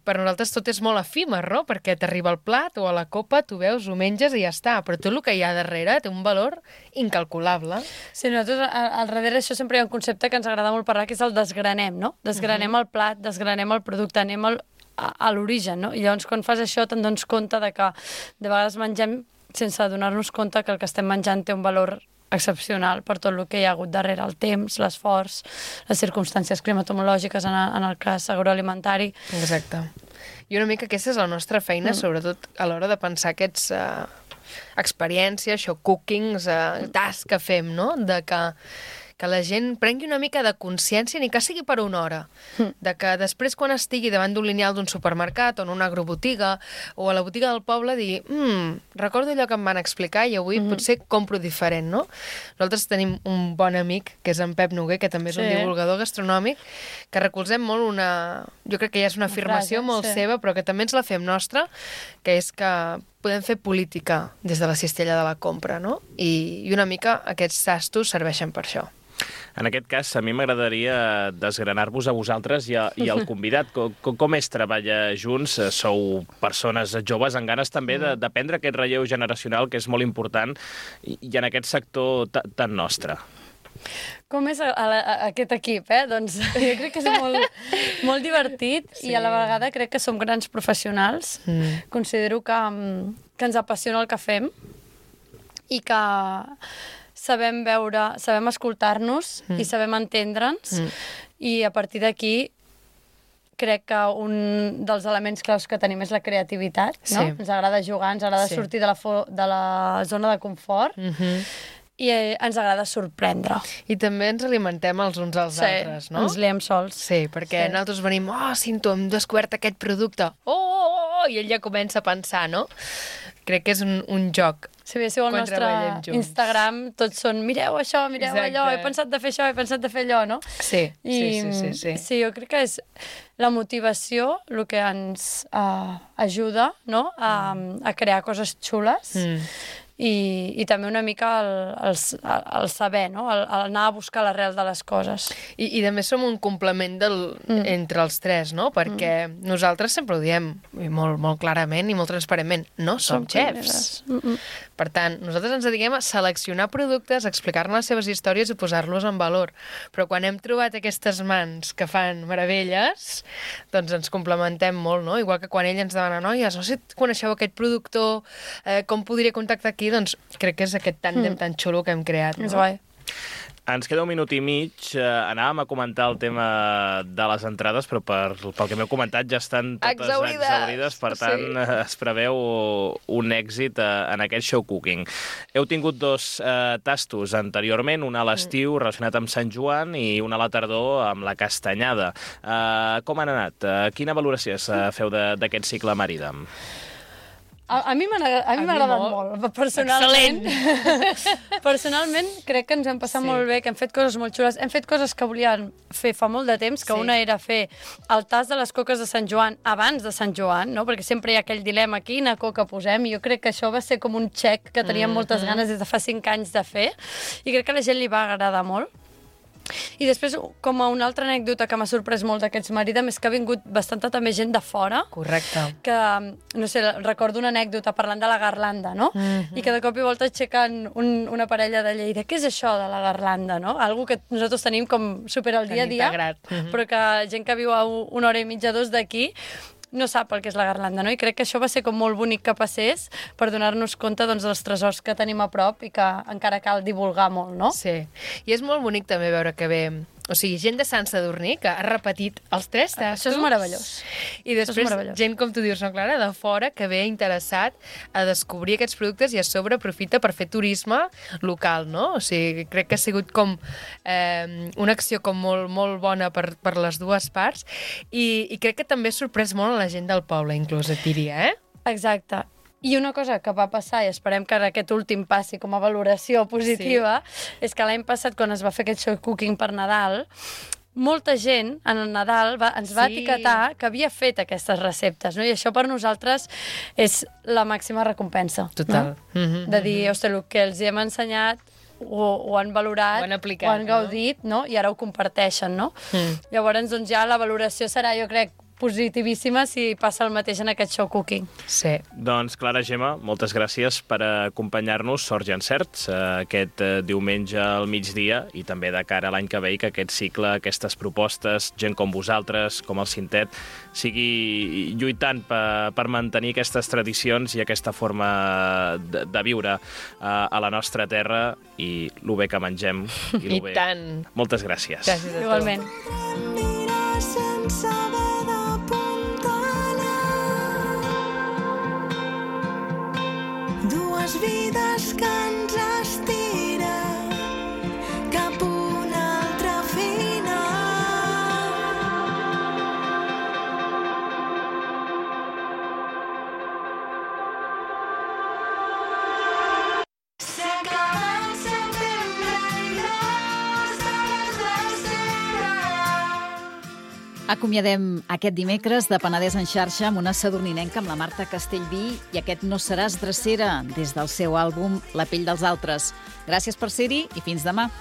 Speaker 12: per nosaltres tot és molt efímer, no?, perquè t'arriba el plat o a la copa, tu veus, ho menges i ja està, però tot el que hi ha darrere té un valor incalculable.
Speaker 13: Sí, nosaltres al darrere això sempre hi ha un concepte que ens agrada molt parlar, que és el desgranem, no? Desgranem el plat, desgranem el producte, anem a l'origen, no? I llavors quan fas això te'n dones compte de que de vegades mengem sense adonar-nos compte que el que estem menjant té un valor excepcional per tot el que hi ha hagut darrere, el temps, l'esforç, les circumstàncies climatològiques en el cas agroalimentari.
Speaker 12: Exacte. I una mica aquesta és la nostra feina, sobretot a l'hora de pensar aquests experiències, show cookings, tasks que fem, no?, de que la gent prengui una mica de consciència, ni que sigui per una hora, de que després quan estigui davant d'un lineal d'un supermercat o en una agrobotiga o a la botiga del poble dir recordo allò que em van explicar i avui potser compro diferent, no? Nosaltres tenim un bon amic, que és en Pep Noguer, que també és un divulgador gastronòmic, que recolzem molt jo crec que ja és una afirmació molt seva, però que també ens la fem nostra, que és que podem fer política des de la cistella de la compra, no? I una mica aquests tastos serveixen per això.
Speaker 11: En aquest cas, a mi m'agradaria desgranar-vos a vosaltres i al convidat. Com és treballar junts? Sou persones joves amb ganes també d'aprendre aquest relleu generacional, que és molt important, i en aquest sector tan nostre.
Speaker 13: Com és aquest equip, Doncs jo crec que és molt divertit i a la vegada crec que som grans professionals. Considero que ens apassiona el que fem i que sabem veure, sabem escoltar-nos i sabem entendre'ns, i a partir d'aquí crec que un dels elements claus que tenim és la creativitat, no? Ens agrada jugar, ens agrada sortir de la zona de confort, i ens agrada sorprendre.
Speaker 12: I també ens alimentem els uns als altres, no?
Speaker 13: Ens liem sols.
Speaker 12: Sí, perquè nosaltres venim, Cinto, hem descobert aquest producte, i ell ja comença a pensar, no? Crec que és un joc.
Speaker 13: Si veieu el nostre Instagram, tots són, mireu això, mireu allò, he pensat de fer això, he pensat de fer allò, no?
Speaker 12: Sí.
Speaker 13: Sí, jo crec que és la motivació el que ens ajuda, no?, a crear coses xules. I també una mica el saber, no?, el anar a buscar l'arrel de les coses.
Speaker 12: I a més som un complement entre els tres, no?, perquè nosaltres sempre ho diem molt, molt clarament i molt transparentment, no som xefs. Per tant, nosaltres ens dediquem a seleccionar productes, explicar-ne les seves històries i posar-los en valor. Però quan hem trobat aquestes mans que fan meravelles, doncs ens complementem molt, no? Igual que quan ell ens demana, noies, no sé si coneixeu aquest productor, com podria contactar aquí? Doncs crec que és aquest tàndem tan xulo que hem creat.
Speaker 13: És guai.
Speaker 11: Ens queda un minut i mig. Anàvem a comentar el tema de les entrades, però pel que m'heu comentat ja estan totes exaurides. Per tant, es preveu un èxit en aquest show cooking. Heu tingut dos tastos anteriorment, un a l'estiu relacionat amb Sant Joan i un a la tardor amb la castanyada. Com han anat? Quina valoració feu d'aquest cicle Maridam?
Speaker 13: A mi m'ha agradat molt. Personalment, crec que ens hem passat molt bé, que hem fet coses molt xules. Hem fet coses que volíem fer fa molt de temps, que una era fer el tast de les coques de Sant Joan abans de Sant Joan, no? Perquè sempre hi ha aquell dilema, quina coca posem, i jo crec que això va ser com un xec que teníem moltes ganes des de fa 5 anys de fer, i crec que a la gent li va agradar molt. I després, com a una altra anècdota que m'ha sorprès molt d'aquests Maridam és que ha vingut bastanta també gent de fora.
Speaker 12: Correcte.
Speaker 13: Que, no sé, recordo una anècdota parlant de la garlanda, no? I que de cop i volta aixequen una parella de Lleida. Què és això de la garlanda, no? Algo que nosaltres tenim com super al dia a dia, però que gent que viu a 1 hora i mitja, 2 d'aquí, no sap el que és la garlanda, no? I crec que això va ser com molt bonic que passés per donar-nos compte doncs, dels tresors que tenim a prop i que encara cal divulgar molt, no?
Speaker 12: Sí, i és molt bonic també veure que ve... O sigui, gent de Sant Sadurní que ha repetit els 3 tastos.
Speaker 13: Això és meravellós.
Speaker 12: I després gent, com tu dius, no, Clara, de fora, que ve interessat a descobrir aquests productes i a sobre aprofita per fer turisme local, no? O sigui, crec que ha sigut com una acció com molt bona per les dues parts i crec que també ha sorprès molt a la gent del poble, inclús, et diria,
Speaker 13: Exacte. I una cosa que va passar, i esperem que aquest últim passi com a valoració positiva, és que l'any passat, quan es va fer aquest show cooking per Nadal, molta gent en el Nadal ens va etiquetar que havia fet aquestes receptes, no? I això per nosaltres és la màxima recompensa.
Speaker 12: Total.
Speaker 13: No? De dir, ostres, el que els hem ensenyat ho han valorat,
Speaker 12: ho han aplicat,
Speaker 13: ho han gaudit, no? I ara ho comparteixen, no? Llavors, doncs ja la valoració serà, jo crec, positivíssima si passa el mateix en aquest show cooking.
Speaker 12: Sí.
Speaker 11: Doncs, Clara, Gemma, moltes gràcies per acompanyar-nos, Sorts i Encerts, aquest diumenge al migdia i també de cara a l'any que ve i que aquest cicle, aquestes propostes, gent com vosaltres, com el Cintet, sigui lluitant per mantenir aquestes tradicions i aquesta forma de viure a la nostra terra i lo bé que mengem. I
Speaker 12: bé. Tant.
Speaker 11: Moltes gràcies.
Speaker 12: Gràcies a tu.
Speaker 13: Igualment.
Speaker 1: Dues vides que ens estiren cap a una altra final. S'acaba el setembre i les de l'Estela.
Speaker 3: Acomiadem aquest dimecres de Penedès en xarxa amb una sadurninenca, amb la Marta Castellví, i aquest No seràs drecera, des del seu àlbum La pell dels altres. Gràcies per ser-hi i fins demà.